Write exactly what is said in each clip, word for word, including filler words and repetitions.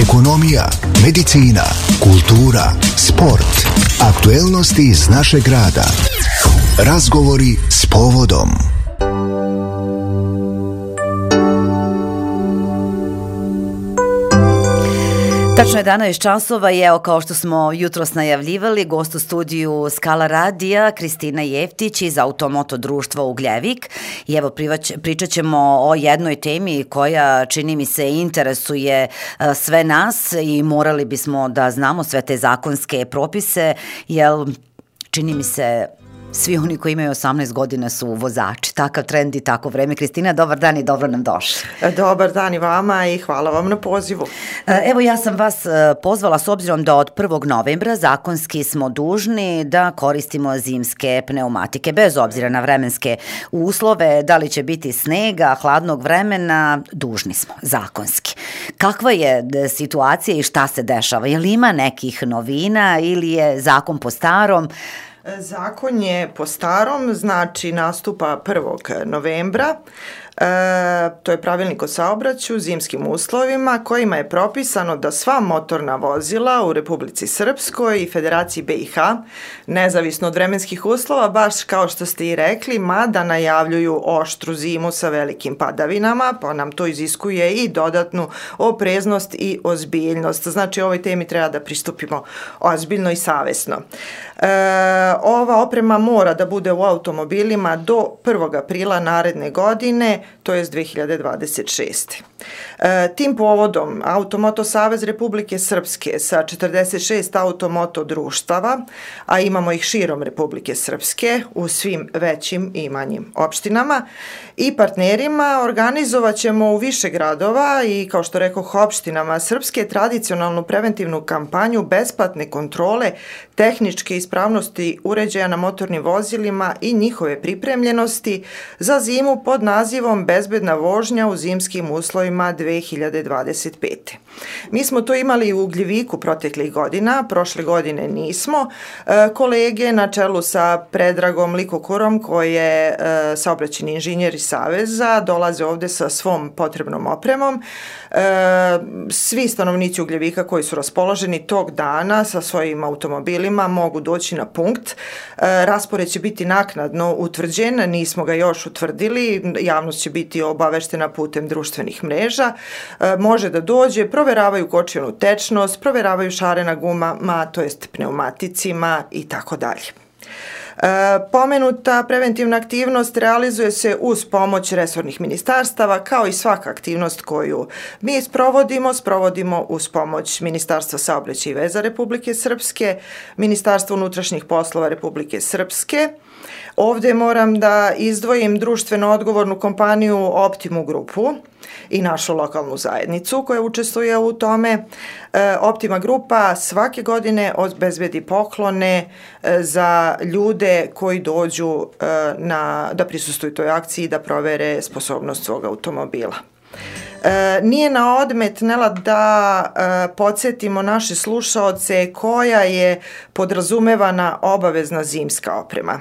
ekonomija, medicina, kultura, sport, aktuelnosti iz našeg grada. Razgovori s povodom. Tačno jedanaest časova i evo, kao što smo jutros najavljivali, gost u studiju Skala radija Kristina Jeftić iz Automoto društva Ugljevik. I evo, pričat ćemo o jednoj temi koja, čini mi se, interesuje sve nas i morali bismo da znamo sve te zakonske propise, jer čini mi se svi oni koji imaju osamnaest godina su vozači. Takav trend i tako vreme. Kristina, dobar dan i dobro nam došli. Dobar dan i vama i hvala vam na pozivu. Evo, ja sam vas pozvala s obzirom da od prvog novembra zakonski smo dužni da koristimo zimske pneumatike, bez obzira na vremenske uslove, da li će biti snega, hladnog vremena, dužni smo, zakonski. Kakva je situacija i šta se dešava? Je li ima nekih novina ili je zakon po starom? Zakon je po starom, znači nastupa prvog novembra. E, to je pravilnik o saobraćaju, zimskim uslovima, kojima je propisano da sva motorna vozila u Republici Srpskoj i Federaciji B i H, nezavisno od vremenskih uslova, baš kao što ste i rekli, mada najavljuju oštru zimu sa velikim padavinama, pa nam to iziskuje i dodatnu opreznost i ozbiljnost. Znači, ovoj temi treba da pristupimo ozbiljno i savesno. E, ova oprema mora da bude u automobilima do prvog aprila naredne godine, to je dve hiljade dvadeset šeste. E, tim povodom Automoto Savez Republike Srpske sa četrdeset šest automoto društava, a imamo ih širom Republike Srpske u svim većim i manjim opštinama i partnerima, organizovat ćemo u više gradova i, kao što rekoh, opštinama Srpske tradicionalnu preventivnu kampanju besplatne kontrole tehničke ispravnosti uređaja na motornim vozilima i njihove pripremljenosti za zimu pod nazivom Bezbedna vožnja u zimskim uslovima dve hiljade dvadeset pete. Mi smo to imali u Ugljeviku proteklih godina, prošle godine nismo. E, kolege na čelu sa Predragom Likokurom, koji je e, saobraćajni inženjer iz Saveza, dolaze ovde sa svom potrebnom opremom. E, svi stanovnici Ugljevika koji su raspoloženi tog dana sa svojim automobilima mogu doći na punkt. E, raspored će biti naknadno utvrđen, nismo ga još utvrdili, javnost će biti obaveštena putem društvenih mreža. E, može da dođe, proveravaju kočionu tečnost, proveravaju šare na gumama, to jest pneumaticima i tako dalje. E, pomenuta preventivna aktivnost realizuje se uz pomoć resornih ministarstava, kao i svaka aktivnost koju mi sprovodimo, sprovodimo uz pomoć Ministarstva saobraćaja i veza Republike Srpske, Ministarstva unutrašnjih poslova Republike Srpske. Ovde moram da izdvojim društveno odgovornu kompaniju Optimu grupu i našu lokalnu zajednicu koja učestvuje u tome. E, Optima grupa svake godine obezbedi poklone e, za ljude koji dođu e, na, da prisustvuju toj akciji i da provere sposobnost svog automobila. E, nije na odmet, Nela, da e, podsjetimo naše slušaoce koja je podrazumevana obavezna zimska oprema.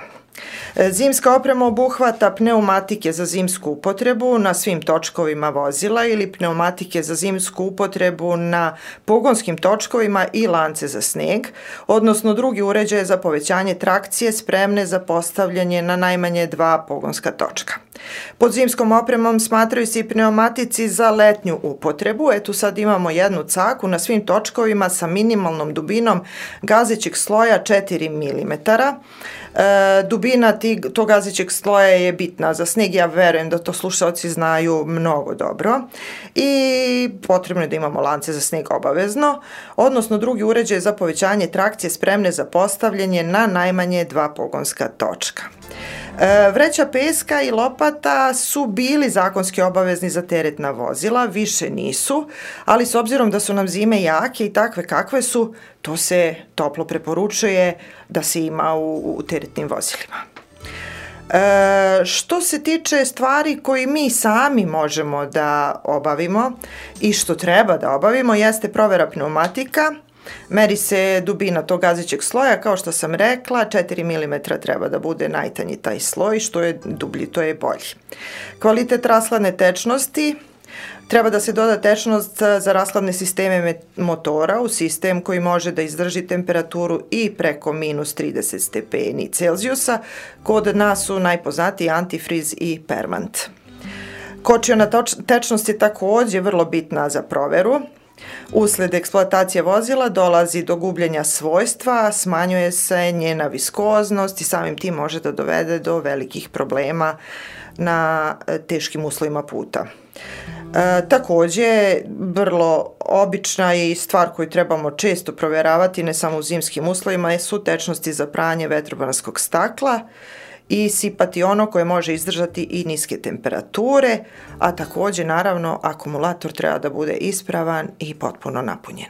Zimska oprema obuhvata pneumatike za zimsku upotrebu na svim točkovima vozila ili pneumatike za zimsku upotrebu na pogonskim točkovima i lance za sneg, odnosno drugi uređaje za povećanje trakcije spremne za postavljanje na najmanje dva pogonska točka. Pod zimskom opremom smatraju se i pneumatici za letnju upotrebu. Eto, sad imamo jednu caku na svim točkovima sa minimalnom dubinom gazećeg sloja četiri milimetra. E, dubina tig, tog gazećeg sloja je bitna za sneg, ja verujem da to slušalci znaju mnogo dobro, i potrebno je da imamo lance za sneg obavezno, odnosno drugi uređaj za povećanje trakcije spremne za postavljanje na najmanje dva pogonska točka. E, vreća peska i lopata su bili zakonski obavezni za teretna vozila, više nisu, ali s obzirom da su nam zime jake i takve kakve su, to se toplo preporučuje da se ima u, u teretnim vozilima. E, što se tiče stvari koje mi sami možemo da obavimo i što treba da obavimo, jeste provera pneumatika. Meri se dubina tog gazećeg sloja, kao što sam rekla, četiri milimetra treba da bude najtanji taj sloj, što je dublji, to je bolji. Kvalitet rashladne tečnosti, Treba da se doda tečnost za rashladne sisteme motora u sistem koji može da izdrži temperaturu i preko minus trideset stepeni Celzijusa. Kod nas su najpoznatiji antifriz i permant. Kočiona tečnost je takođe vrlo bitna za proveru. Usled eksploatacije vozila dolazi do gubljenja svojstva, smanjuje se njena viskoznost i samim tim može da dovede do velikih problema na teškim uslovima puta. E, takođe, vrlo obična i stvar koju trebamo često provjeravati, ne samo u zimskim uslovima, su tečnosti za pranje vetrobranskog stakla i sipati ono koje može izdržati i niske temperature, a takođe, naravno, akumulator treba da bude ispravan i potpuno napunjen.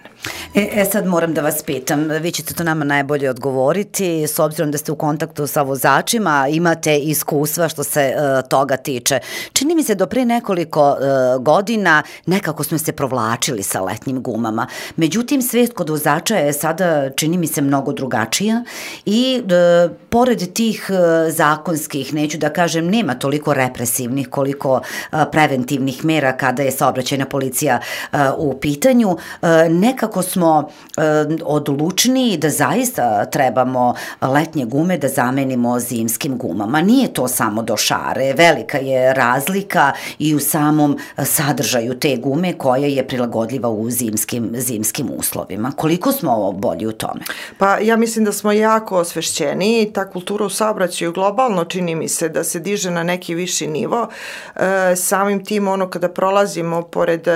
E, e sad moram da vas pitam, vi ćete to nama najbolje odgovoriti, s obzirom da ste u kontaktu sa vozačima, imate iskustva što se e, toga tiče. Čini mi se do pre nekoliko e, godina nekako smo se provlačili sa letnjim gumama, međutim svest kod vozača je sada, čini mi se, mnogo drugačija i e, pored tih e, zakonskih, neću da kažem, nema toliko represivnih koliko e, preventivnih mera kada je saobraćajna policija e, u pitanju, e, nekako smo e, odlučni da zaista trebamo letnje gume da zamenimo zimskim gumama. Nije to samo do šare, velika je razlika i u samom sadržaju te gume koja je prilagodljiva u zimskim, zimskim uslovima. Koliko smo bolji u tome? Pa ja mislim da smo jako osvešćeni i ta kultura u saobraćaju globalno čini mi se da se diže na neki viši nivo. E, samim tim ono kada prolazimo pored e,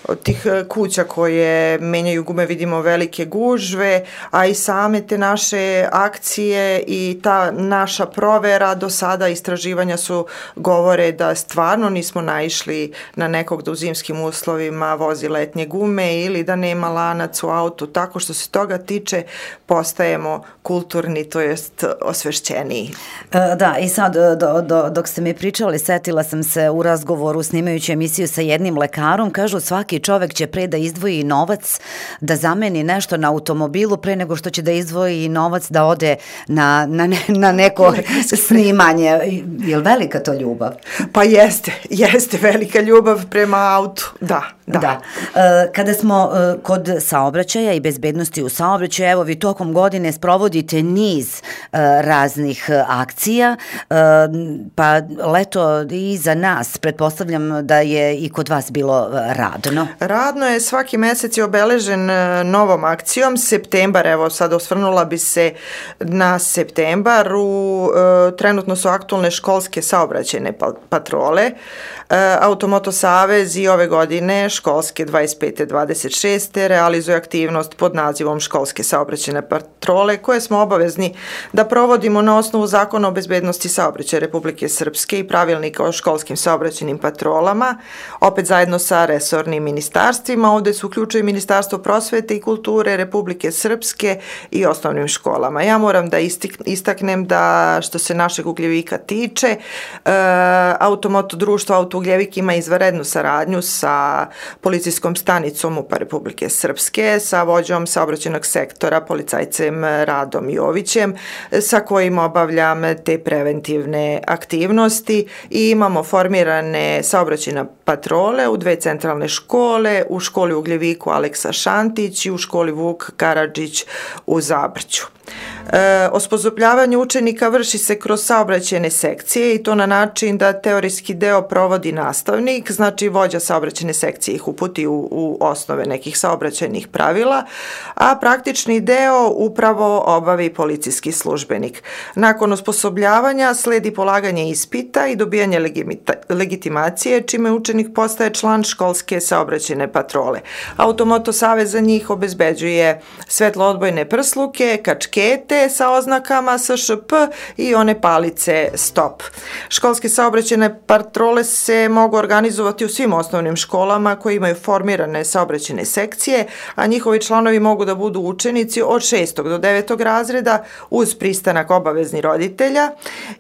od tih kuća koje menjaju gume vidimo velike gužve, a i same te naše akcije i ta naša provera do sada istraživanja su govore da stvarno nismo naišli na nekog da u zimskim uslovima vozi letnje gume ili da nema lanac u autu. Tako što se toga tiče postajemo kulturni, to jest osvešćeniji. E, da, i sad do, do, dok ste mi pričali, setila sam se u razgovoru snimajući emisiju sa jednim lekarom, kažu svaki čovek će pre da izdvoji novac da zameni nešto na automobilu pre nego što će da izdvoji novac da ode na, na, ne, na neko snimanje. Je li velika to ljubav? Pa jeste, jeste velika ljubav prema autu, da. Da. da. E, kada smo e, kod saobraćaja i bezbednosti u saobraćaju, evo vi tokom godine sprovodite niz e, raznih akcija, e, pa leto i za nas, pretpostavljam da je i kod vas bilo radno. Radno je, svaki mesec je obeležen novom akcijom. Septembar, evo sad osvrnula bi se na septembar, u, e, trenutno su aktualne školske saobraćajne patrole. E, Automoto savez i ove godine školske dvadeset pete dvadeset šeste realizuje aktivnost pod nazivom školske saobraćajne patrole koje smo obavezni da provodimo na osnovu Zakona o bezbednosti saobraćaja Republike Srpske i pravilnika o školskim saobraćajnim patrolama, opet zajedno sa resornim ministarstvima. Ovde su uključuje Ministarstvo prosvete i kulture Republike Srpske i osnovnim školama. Ja moram da istaknem da što se našeg Ugljevika tiče, e, Automoto društvo Autougljevik ima izvanrednu saradnju sa policijskom stanicom U P A Republike Srpske, sa vođom saobraćajnog sektora, policajcem Radom Jovićem, sa kojim obavljam te preventivne aktivnosti i imamo formirane saobraćajne patrole u dve centralne škole, u školi u Ugljeviku Aleksa Šantić i u školi Vuk Karadžić u Zabrđu. E, osposobljavanje učenika vrši se kroz saobraćajne sekcije i to na način da teorijski deo provodi nastavnik, znači vođa saobraćajne sekcije ih uputi u, u osnove nekih saobraćajnih pravila, a praktični deo upravo obavi policijski službenik. Nakon osposobljavanja sledi polaganje ispita i dobijanje legimita, legitimacije, čime učenik postaje član školske saobraćajne patrole. Automoto savez za njih obezbeđuje svetloodbojne prsluke, kačkete sa oznakama S Š P i one palice stop. Školske saobraćajne patrole se mogu organizovati u svim osnovnim školama koji imaju formirane saobraćajne sekcije, a njihovi članovi mogu da budu učenici od šestog do devetog razreda uz pristanak obavezni roditelja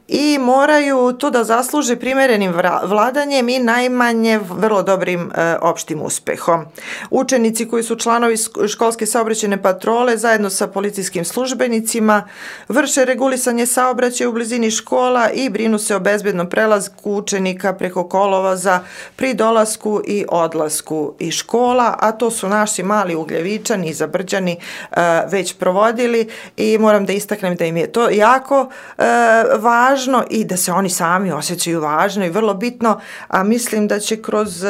i moraju to da zasluže primerenim vladanjem i najmanje vrlo dobrim e, opštim uspehom. Učenici koji su članovi školske saobraćajne patrole zajedno sa policijskim službenicima putevima, vrše regulisanje saobraćaja u blizini škola i brinu se o bezbednom prelasku učenika preko kolovoza pri dolasku i odlasku iz škola, a to su naši mali Ugljevičani i Zabrđani uh, već provodili i moram da istaknem da im je to jako uh, važno i da se oni sami osjećaju važno i vrlo bitno, a mislim da će kroz uh,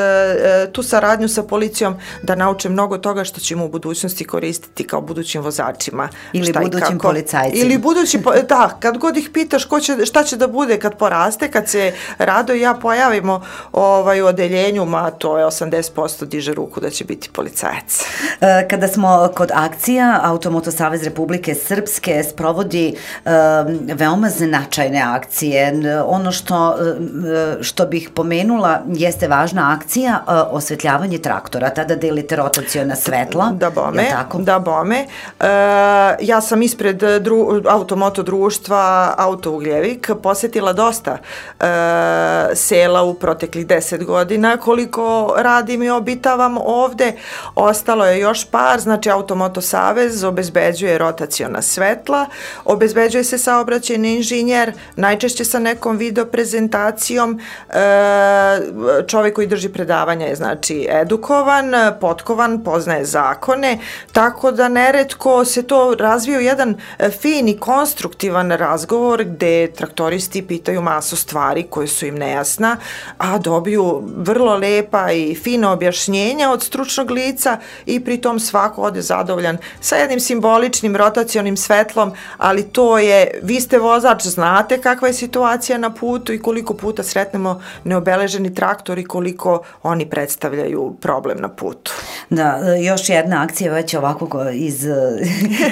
tu saradnju sa policijom da nauče mnogo toga što ćemo u budućnosti koristiti kao budućim vozačima. Ili budućim policajcima. Ili budući, da, kad god ih pitaš ko će, šta će da bude kad poraste, kad se Rado i ja pojavimo ovaj, u odeljenju, ma to je osamdeset posto diže ruku da će biti policajac. Kada smo kod akcija, Automoto Savez Republike Srpske sprovodi um, veoma značajne akcije. Ono što, što bih pomenula jeste važna akcija uh, osvetljavanje traktora, tada delite rotaciona svetla. Da bome, da bome. Uh, ja sam ispred dru, Automoto društva Auto Ugljevik posetila dosta uh, sela u proteklih deset godina. Koliko radim i obitavam ovde, ostalo je još par, znači Automoto Savez obezbeđuje rotaciona svetla, obezbeđuje se saobraćajni inženjer, najčešće sa nekom video prezentacijom, uh, čovjek koji drži predavanja je znači edukovan, potkovan, poznaje zakone, tako da neretko se to razvije u jedan fin i konstruktivan razgovor gde traktoristi pitaju masu stvari koje su im nejasna, a dobiju vrlo lepa i fina objašnjenja od stručnog lica i pritom svako ode zadovoljan sa jednim simboličnim rotacionim svetlom, ali to je, vi ste vozač, znate kakva je situacija na putu i koliko puta sretnemo neobeleženi traktor i koliko oni predstavljaju problem na putu. Da, još jedna akcija već ovako iz,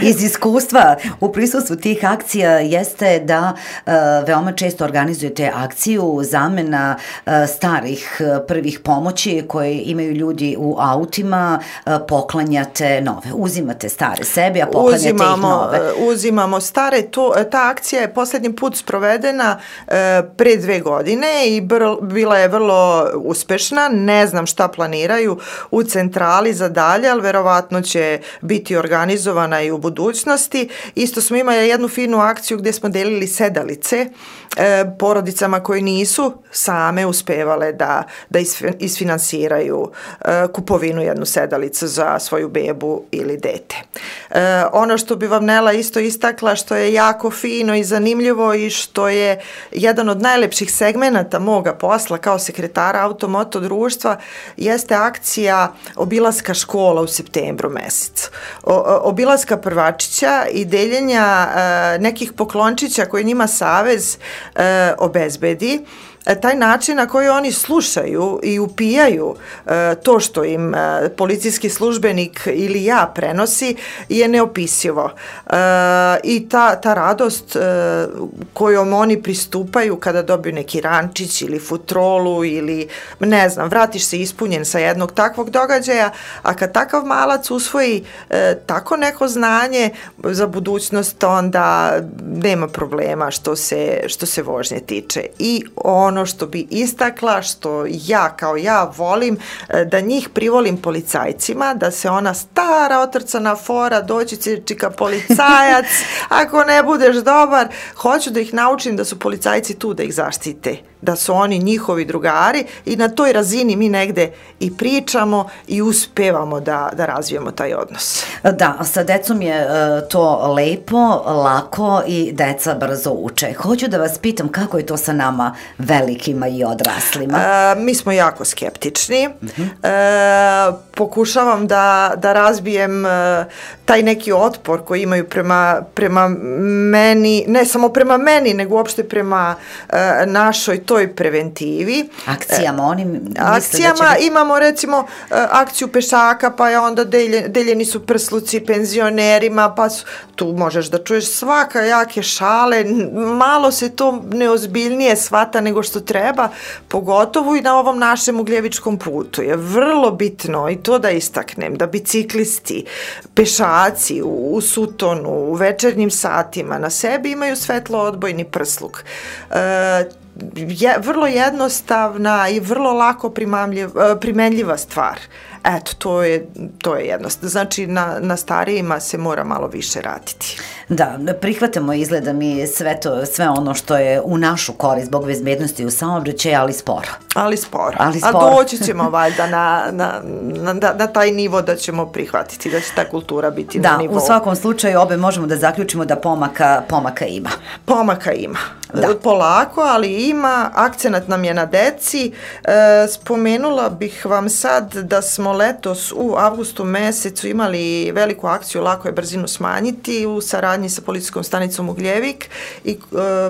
iz iskustva u prisustvu tih akcija jeste da uh, veoma često organizujete akciju zamena uh, starih uh, prvih pomoći koje imaju ljudi u autima, uh, poklanjate nove. Uzimate stare sebi, a poklanjate uzimamo, ih nove. Uzimamo stare. To, ta akcija je posljednji put sprovedena uh, pre dve godine i br, bila je vrlo uspešna. Ne znam šta planiraju u centrali za dalje, ali verovatno će biti organizovana i u budućnosti. Isto smo imali jednu finu akciju gdje smo delili sedalice e, porodicama koje nisu same uspevale da, da isfinansiraju e, kupovinu jednu sedalicu za svoju bebu ili dete. E, ono što bi vam Nela isto istakla, što je jako fino i zanimljivo i što je jedan od najlepših segmenata moga posla kao sekretara Automoto društva, jeste akcija obilaska škola u septembru mesecu. O, obilaska prvačića i deljenja e, nekih poklončića koje njima Savez e, obezbedi. Taj način na koji oni slušaju i upijaju e, to što im e, policijski službenik ili ja prenosi je neopisivo. E, I ta, ta radost e, kojom oni pristupaju kada dobiju neki rančić ili futrolu ili ne znam, vratiš se ispunjen sa jednog takvog događaja, a kad takav malac usvoji e, tako neko znanje za budućnost, onda nema problema što se, što se vožnje tiče. I ono što bi istakla, što ja kao ja volim, da njih privolim policajcima, da se ona stara otrcana fora, doći će čika policajac, ako ne budeš dobar, hoću da ih naučim da su policajci tu da ih zaštite, da su oni njihovi drugari i na toj razini mi negde i pričamo i uspevamo da, da razvijemo taj odnos. Da, sa decom je uh, to lepo, lako i deca brzo uče. Hoću da vas pitam kako je to sa nama velikima i odraslima? Uh, mi smo jako skeptični. Uh-huh. Uh, pokušavam da, da razbijem uh, taj neki otpor koji imaju prema, prema meni, ne samo prema meni, nego uopšte prema uh, našoj toj preventivi. Akcijama, oni misle akcijama da će... imamo recimo akciju pešaka, pa je onda delje, deljeni su prsluci penzionerima, pa su, tu možeš da čuješ svaka jake šale, malo se to neozbiljnije shvata nego što treba, pogotovo i na ovom našem ugljevičkom putu. Je vrlo bitno i to da istaknem, da biciklisti, pešaci u, u sutonu, u večernjim satima na sebi imaju svetlo odbojni prsluk. E, je vrlo jednostavna i vrlo lako primenljiva stvar. Eto, to je, to je jednostavno. Znači, na, na starijima se mora malo više raditi. Da, prihvatamo izgleda mi sve to, sve ono što je u našu korist zbog bezbednosti u saobraćaju, ali sporo. Ali sporo. Ali sporo. A doći ćemo valjda na, na, na, na taj nivo da ćemo prihvatiti, da će ta kultura biti da, na nivou. Da, u svakom slučaju obe možemo da zaključimo da pomaka, pomaka ima. Pomaka ima. Da. Polako, ali ima. Akcenat nam je na deci. E, spomenula bih vam sad da smo letos u avgustu mesecu imali veliku akciju Lako je brzinu smanjiti u saradnji sa policijskom stanicom Ugljevik i e,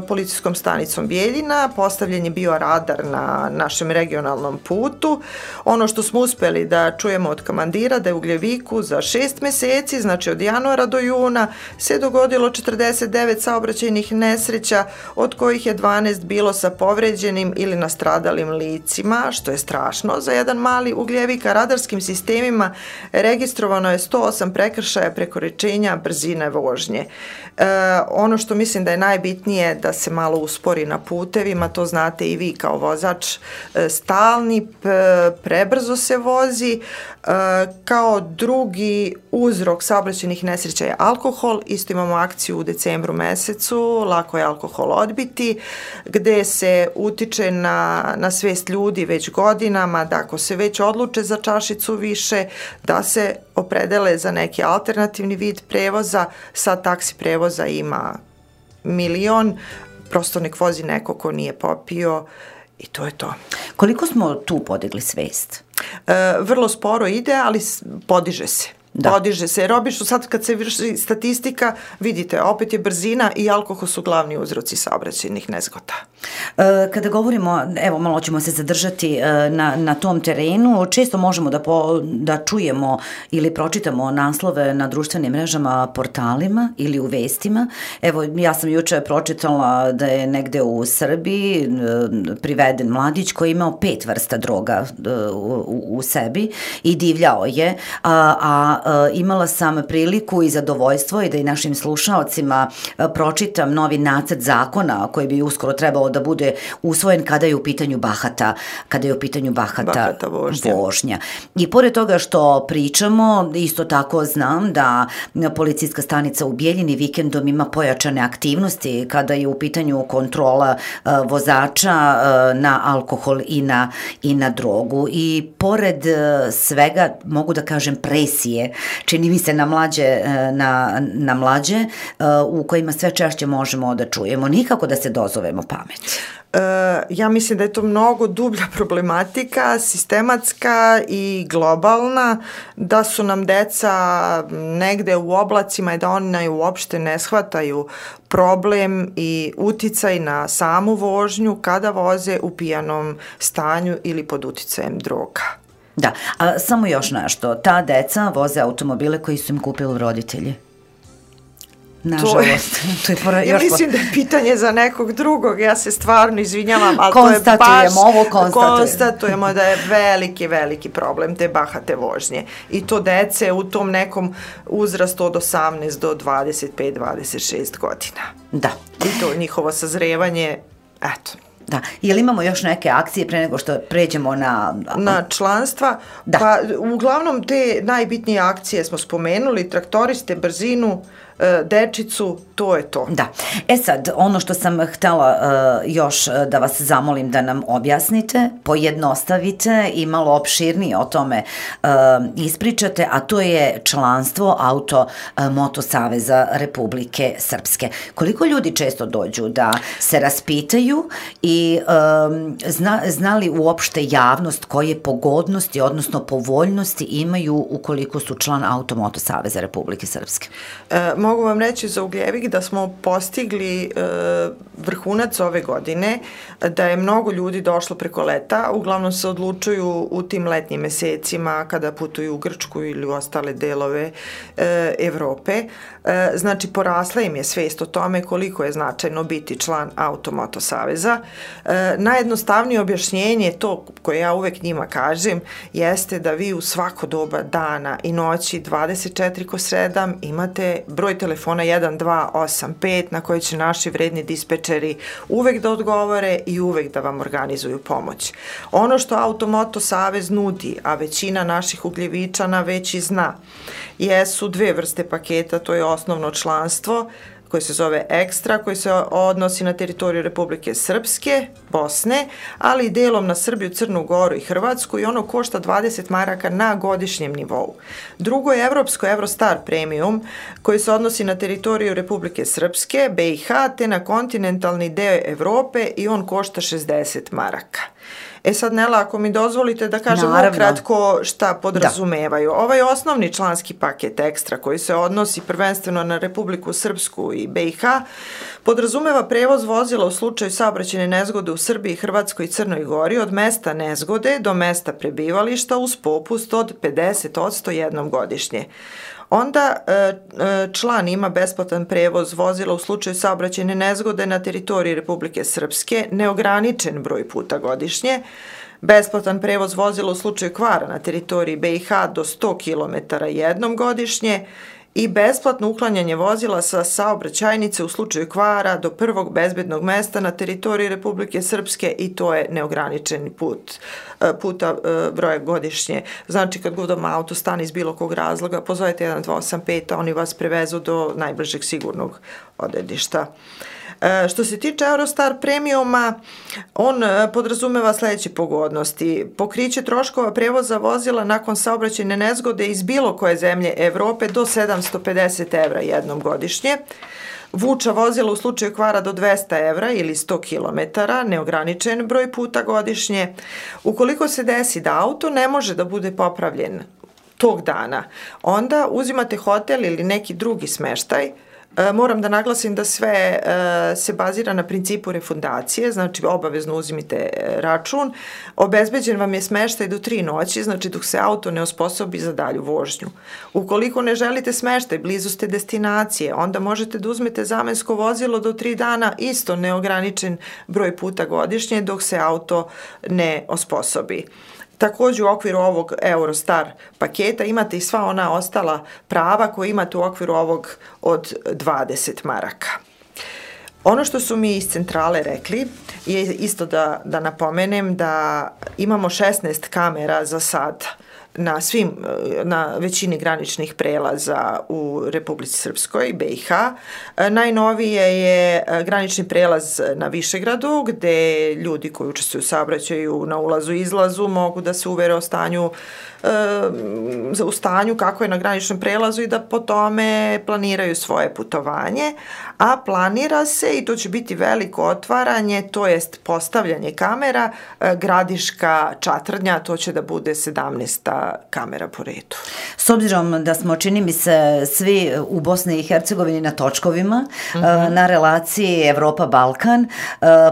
policijskom stanicom Bijeljina. Postavljen je bio radar na našem regionalnom putu. Ono što smo uspeli da čujemo od komandira da je u Ugljeviku za šest meseci, znači od januara do juna, se dogodilo četrdeset devet saobraćajnih nesreća, od kojih je dvanaest bilo sa povređenim ili nastradalim licima, što je strašno za jedan mali Ugljevik, a radarskim sistemima registrovano je sto osam prekršaja prekoračenja brzine vožnje. E, ono što mislim da je najbitnije da se malo uspori na putevima, to znate i vi kao vozač, e, stalni, p, prebrzo se vozi, e, kao drugi uzrok saobraćajnih nesreća je alkohol, isto imamo akciju u decembru mesecu, lako je alkohol odbiti, gde se utiče na, na svest ljudi već godinama, da ako se već odluče za čašicu više, da se opredele za neki alternativni vid prevoza. Sad taksi prevoza ima milion, prosto nek vozi neko ko nije popio i to je to. Koliko smo tu podigli svest? E, vrlo sporo ide, ali podiže se. Da. Podiže se, jer obično sad kad se vrši statistika, vidite, opet je brzina i alkohol su glavni uzroci saobraćajnih nezgoda. E, kada govorimo, evo malo ćemo se zadržati e, na, na tom terenu, često možemo da, po, da čujemo ili pročitamo naslove na društvenim mrežama, portalima ili u vestima. Evo, ja sam juče pročitala da je negde u Srbiji e, priveden mladić koji je imao pet vrsta droga e, u, u sebi i divljao je, a, a imala sam priliku i zadovoljstvo i da i našim slušaocima pročitam novi nacrt zakona koji bi uskoro trebalo da bude usvojen kada je u pitanju bahata, kada je u pitanju bahata, bahata vožnja. vožnja. I pored toga što pričamo, isto tako znam da policijska stanica u Bijeljini vikendom ima pojačane aktivnosti kada je u pitanju kontrola uh, vozača uh, na alkohol i na, i na drogu. I pored uh, svega, mogu da kažem, presije, čini mi se na mlađe, na, na mlađe u kojima sve češće možemo da čujemo. Nikako da se dozovemo pamet. E, ja mislim da je to mnogo dublja problematika, sistematska i globalna, da su nam deca negde u oblacima i da oni uopšte ne shvataju problem i uticaj na samu vožnju kada voze u pijanom stanju ili pod uticajem droga. Da, a samo još nešto, ta deca voze automobile koji su im kupili roditelji. Nažalost. To je, to je ja mislim da je pitanje za nekog drugog, ja se stvarno izvinjavam, ali konstatujemo, to je baš, ovo konstatujemo. konstatujemo da je veliki, veliki problem te bahate vožnje. I to dece u tom nekom uzrastu od osamnaest do dvadeset pet dvadeset šest godina. Da. I to njihovo sazrevanje, eto. Da, jel imamo još neke akcije pre nego što pređemo na... Na članstva? Da. Pa uglavnom te najbitnije akcije smo spomenuli, traktoriste, brzinu, dečicu, to je to. Da. E sad, ono što sam htela uh, još da vas zamolim da nam objasnite, pojednostavite i malo opširnije o tome uh, ispričate, a to je članstvo Auto Moto Saveza Republike Srpske. Koliko ljudi često dođu da se raspitaju i um, zna, zna li uopšte javnost koje pogodnosti, odnosno povoljnosti imaju ukoliko su član Auto Moto Saveza Republike Srpske? E, mogu vam reći za Ugljevik da smo postigli e, vrhunac ove godine, da je mnogo ljudi došlo preko leta, uglavnom se odlučuju u tim letnjim mesecima kada putuju u Grčku ili u ostale delove e, Evrope. Znači, porasla im je svest o tome koliko je značajno biti član Auto Moto Saveza. E, najjednostavnije objašnjenje, to koje ja uvek njima kažem, jeste da vi u svako doba dana i noći dvadeset četiri kroz sedam imate broj telefona jedan dva osam pet na koji će naši vredni dispečeri uvek da odgovore i uvek da vam organizuju pomoć. Ono što Automoto Savez nudi, a većina naših ugljevičana već i zna, jesu dve vrste paketa, to je osnovno članstvo koje se zove Ekstra, koji se odnosi na teritoriju Republike Srpske, Bosne, ali i delom na Srbiju, Crnu Goru i Hrvatsku i ono košta dvadeset maraka na godišnjem nivou. Drugo je Evropsko Eurostar Premium koji se odnosi na teritoriju Republike Srpske, B i H, te na kontinentalni deo Evrope i on košta šezdeset maraka. E sad, Nela, ako mi dozvolite da kažem ukratko šta podrazumevaju. Da. Ovaj osnovni članski paket Ekstra koji se odnosi prvenstveno na Republiku Srpsku i B i H podrazumeva prevoz vozila u slučaju saobraćajne nezgode u Srbiji, Hrvatskoj i Crnoj Gori od mesta nezgode do mesta prebivališta uz popust od pedeset odsto jednom godišnje. Onda član ima besplatan prevoz vozila u slučaju saobraćajne nezgode na teritoriji Republike Srpske, neograničen broj puta godišnje, besplatan prevoz vozila u slučaju kvara na teritoriji B i H do sto kilometara jednom godišnje i besplatno uklanjanje vozila sa saobraćajnice u slučaju kvara do prvog bezbednog mesta na teritoriji Republike Srpske i to je neograničeni put, puta broja godišnje. Znači, kad god vam auto stane iz bilo kog razloga, pozovete jedan dva osam pet, a oni vas prevezu do najbližeg sigurnog odredišta. E, što se tiče Eurostar Premiuma, on podrazumeva sledeće pogodnosti. Pokriće troškova prevoza vozila nakon saobraćajne nezgode iz bilo koje zemlje Evrope do sedamsto pedeset evra jednom godišnje. Vuča vozila u slučaju kvara do dvesta evra ili sto kilometara, neograničen broj puta godišnje. Ukoliko se desi da auto ne može da bude popravljen tog dana, onda uzimate hotel ili neki drugi smeštaj. Moram da naglasim da sve se bazira na principu refundacije, znači obavezno uzimite račun. Obezbeđen vam je smeštaj do tri noći, znači dok se auto ne osposobi za dalju vožnju. Ukoliko ne želite smeštaj, blizu ste destinacije, onda možete da uzmete zamensko vozilo do tri dana, isto neograničen broj puta godišnje dok se auto ne osposobi. Također u okviru ovog Eurostar paketa imate i sva ona ostala prava koje imate u okviru ovog od dvadeset maraka. Ono što su mi iz centrale rekli je isto da, da napomenem da imamo šesnaest kamera za sad na svim, na većini graničnih prelaza u Republici Srpskoj, B i H. Najnovije je granični prelaz na Višegradu, gde ljudi koji učestvuju u saobraćaju na ulazu i izlazu mogu da se uvere o stanju, u stanju kako je na graničnom prelazu i da po tome planiraju svoje putovanje, a planira se, i to će biti veliko otvaranje, to jest postavljanje kamera, Gradiška Čatrnja, to će da bude sedamnaesta kamera po redu. S obzirom da smo, čini mi se, svi u Bosni i Hercegovini na točkovima, mm-hmm. na relaciji Evropa-Balkan,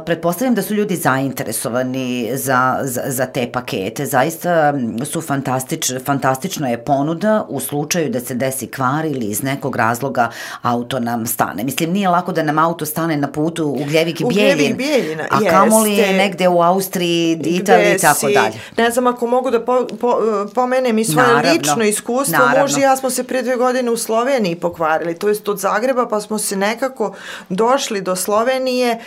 pretpostavljam da su ljudi zainteresovani za, za, za te pakete. Zaista su fantastič, fantastična je ponuda u slučaju da se desi kvar ili iz nekog razloga auto nam stane. Mislim, nije lako da nam auto stane na putu Ugljevik i Bijeljin, Bijeljina, a kamoli negde u Austriji, Italiji i tako dalje. Ne znam, ako mogu da po, po, pomenem i svoje naravno, lično iskustvo, muž i ja smo se prije dve godine u Sloveniji pokvarili, to jest od Zagreba, pa smo se nekako došli do Slovenije.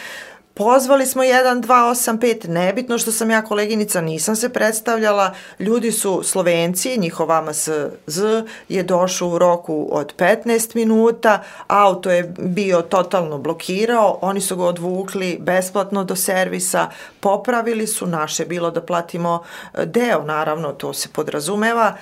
Pozvali smo jedan dva osam pet, nebitno što sam ja koleginica, nisam se predstavljala, ljudi su Slovenci, njihov A M S Z je došao u roku od petnaest minuta, auto je bio totalno blokirao, oni su ga odvukli besplatno do servisa, popravili su, naše bilo da platimo deo, naravno to se podrazumeva,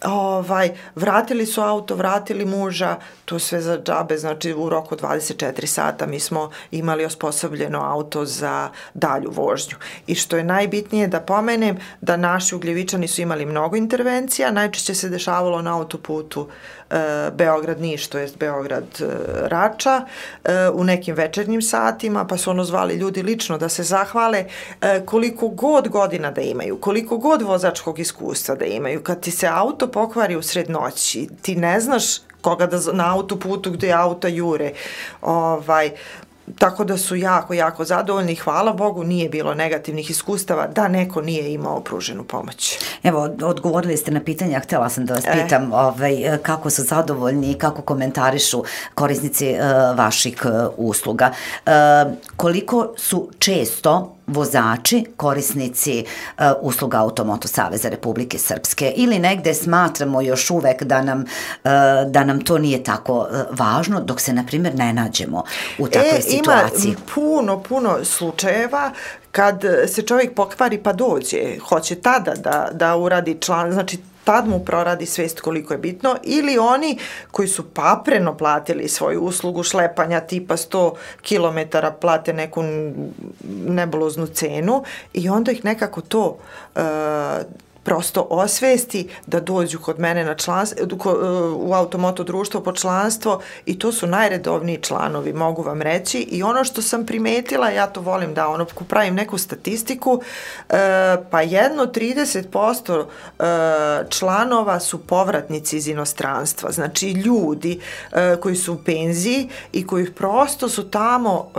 Ovaj, vratili su auto, vratili muža, to sve za džabe, znači u roku dvadeset četiri sata mi smo imali osposobljeno auto za dalju vožnju. I što je najbitnije da pomenem da naši Ugljevičani su imali mnogo intervencija, najčešće se dešavalo na autoputu e, Beograd-Niš, to jest Beograd-Rača, e, u nekim večernjim satima, pa su ono zvali ljudi lično da se zahvale e, koliko god godina da imaju, koliko god vozačkog iskustva da imaju, kad ti se auto pokvari u sred noći, ti ne znaš koga da na autoputu gde auta jure, ovaj, tako da su jako, jako zadovoljni. Hvala Bogu, nije bilo negativnih iskustava da neko nije imao pruženu pomoć. Evo, odgovorili ste na pitanje, a htjela sam da vas pitam e. ovaj, kako su zadovoljni i kako komentarišu korisnici uh, vaših uh, usluga. Uh, koliko su često vozači, korisnici uh, usluga Automoto Saveza Republike Srpske ili negde smatramo još uvek da nam, uh, da nam to nije tako uh, važno dok se, na primjer, ne nađemo u takvoj e, situaciji? Ima puno, puno slučajeva kad se čovjek pokvari pa dođe, hoće tada da, da uradi član, znači tad mu proradi svest koliko je bitno, ili oni koji su papreno platili svoju uslugu šlepanja tipa sto kilometara plate neku nebuloznu cenu i onda ih nekako to uh, prosto osvesti da dođu kod mene na članstvo, u Automoto društvo po članstvo i to su najredovniji članovi, mogu vam reći. I ono što sam primetila, ja to volim da ono pravim neku statistiku, pa jedno trideset posto članova su povratnici iz inostranstva, znači ljudi koji su u penziji i koji prosto su tamo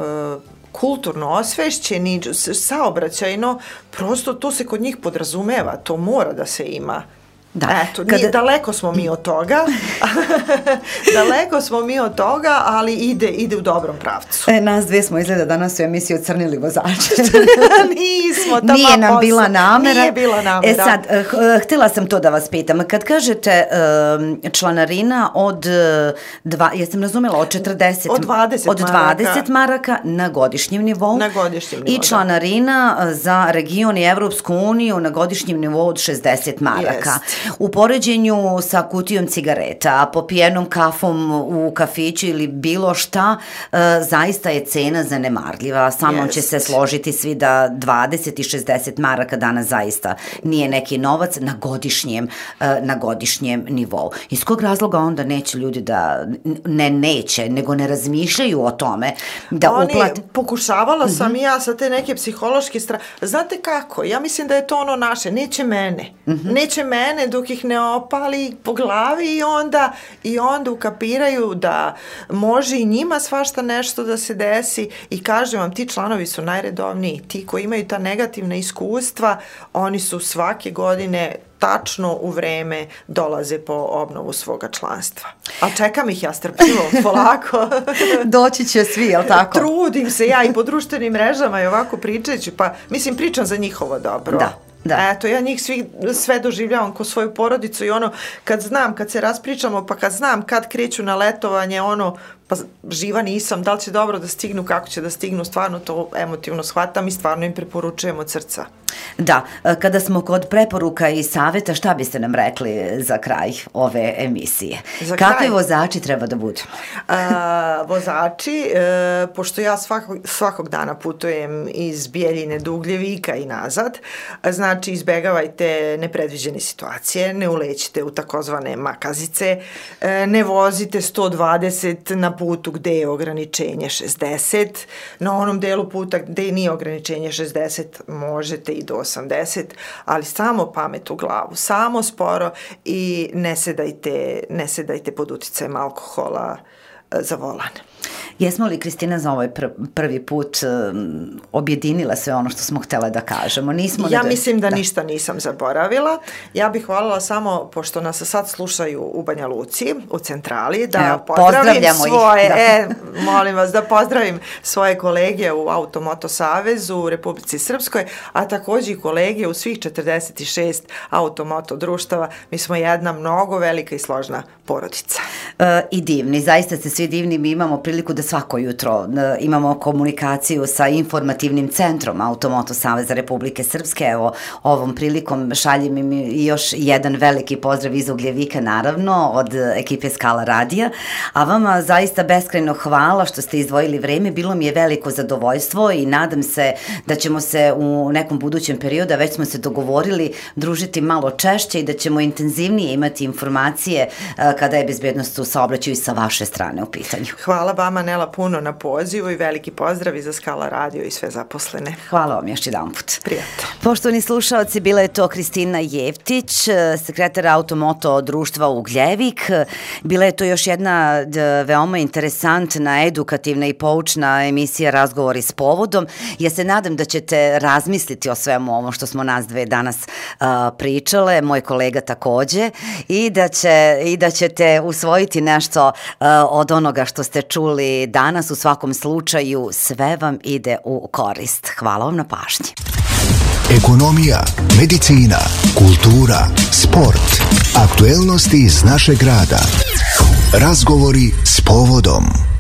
kulturno osvešćeni, saobraćajno, prosto to se kod njih podrazumeva, to mora da se ima. Da. Eto, nije, Kada... daleko smo mi od toga, daleko smo mi od toga, ali ide, ide u dobrom pravcu. E, nas dve smo izgleda danas u emisiji ocrnili vozače. Nismo, tamo Nije nam bila namera. Nije bila namera. E sad, htjela sam to da vas pitam. Kad kažete um, članarina od, dva, jesam razumela, od četrdeset, od dvadeset, od dvadeset maraka. maraka na godišnjem nivou. Na godišnjem nivou, I članarina da. za region i Evropsku uniju na godišnjem nivou od šezdeset maraka. Jest. U poređenju sa kutijom cigareta, popijenom kafom u kafiću ili bilo šta, e, zaista je cena zanemarljiva. Samo yes. će se složiti svi da dvadeset i šezdeset maraka danas zaista nije neki novac na godišnjem, e, na godišnjem nivou. Iz kog razloga onda neće ljudi da, ne neće, nego ne razmišljaju o tome da Oni, uplat... Pokušavala sam mm-hmm. ja sa te neke psihološke strane. Znate kako? Ja mislim da je to ono naše. Neće mene. Mm-hmm. Neće mene dok ih ne opali po glavi i onda, i onda ukapiraju da može i njima svašta nešto da se desi i kažem vam, ti članovi su najredovniji. Ti koji imaju ta negativna iskustva, oni su svake godine tačno u vreme dolaze po obnovu svoga članstva. A čekam ih ja strpljivo, polako. Doći će svi, jel tako? Trudim se ja i po društvenim mrežama i ovako pričajući, pa mislim pričam za njihovo dobro. Da. Da. Eto, ja njih svi, sve doživljavam ko svoju porodicu i ono, kad znam, kad se raspričamo, pa kad znam kad kreću na letovanje, ono, pa živa nisam, da li će dobro da stignu, kako će da stignu, stvarno to emotivno shvatam i stvarno im preporučujem od srca. Da, kada smo kod preporuka i savjeta, šta biste nam rekli za kraj ove emisije? Za Kakvi kraj? vozači treba da budu? A, vozači, e, pošto ja svakog, svakog dana putujem iz Bijeljine do Ugljevika i nazad, znači izbegavajte nepredviđene situacije, ne ulećite u takozvane makazice, e, ne vozite sto dvadeset na putu gde je ograničenje šezdeset, na onom delu puta gde nije ograničenje šezdeset možete i do osamdeset, ali samo pamet u glavu, samo sporo i ne sedajte, ne sedajte pod uticajem alkohola za volan. Jesmo li, Kristina, za ovaj pr prvi put um, objedinila sve ono što smo htjela da kažemo? Nismo ja da... mislim da, da ništa nisam zaboravila. Ja bih voljela samo, pošto nas sad slušaju u Banja Luci, u centrali, da Evo, pozdravim svoje, da. E, molim vas, da pozdravim svoje kolege u Automoto Savezu u Republici Srpskoj, a također i kolege u svih četrdeset šest automoto društava. Mi smo jedna mnogo velika i složna porodica. E, I divni, zaista ste svi divni, mi imamo priliku da svako jutro e, imamo komunikaciju sa informativnim centrom Automoto Saveza Republike Srpske. Evo, ovom prilikom šaljem im i još jedan veliki pozdrav iz Ugljevika, naravno, od ekipe Skala radija. A vama zaista beskrajno hvala što ste izdvojili vreme. Bilo mi je veliko zadovoljstvo i nadam se da ćemo se u nekom budućem periodu, a već smo se dogovorili, družiti malo češće i da ćemo intenzivnije imati informacije e, kada je bezbednost u saobraćaju i sa vaše strane u pitanju. Hvala vama Nela, puno na pozivu i veliki pozdrav i za Skala radio i sve zaposlene. Hvala vam još jedan put. Prijatno. Poštovani slušalci, bila je to Kristina Jeftić, sekretar Automoto društva Ugljevik. Bila je to još jedna veoma interesantna, edukativna i poučna emisija Razgovori s povodom. Ja se nadam da ćete razmisliti o svemu ovom što smo nas dve danas uh, pričale, moj kolega takođe, i da, će, i da ćete usvojiti nešto uh, od onoga što ste čuli danas. U svakom slučaju sve vam ide u korist. Hvala vam na pažnji. Ekonomija, medicina, kultura, sport, aktuelnosti iz našeg grada. Razgovori s povodom.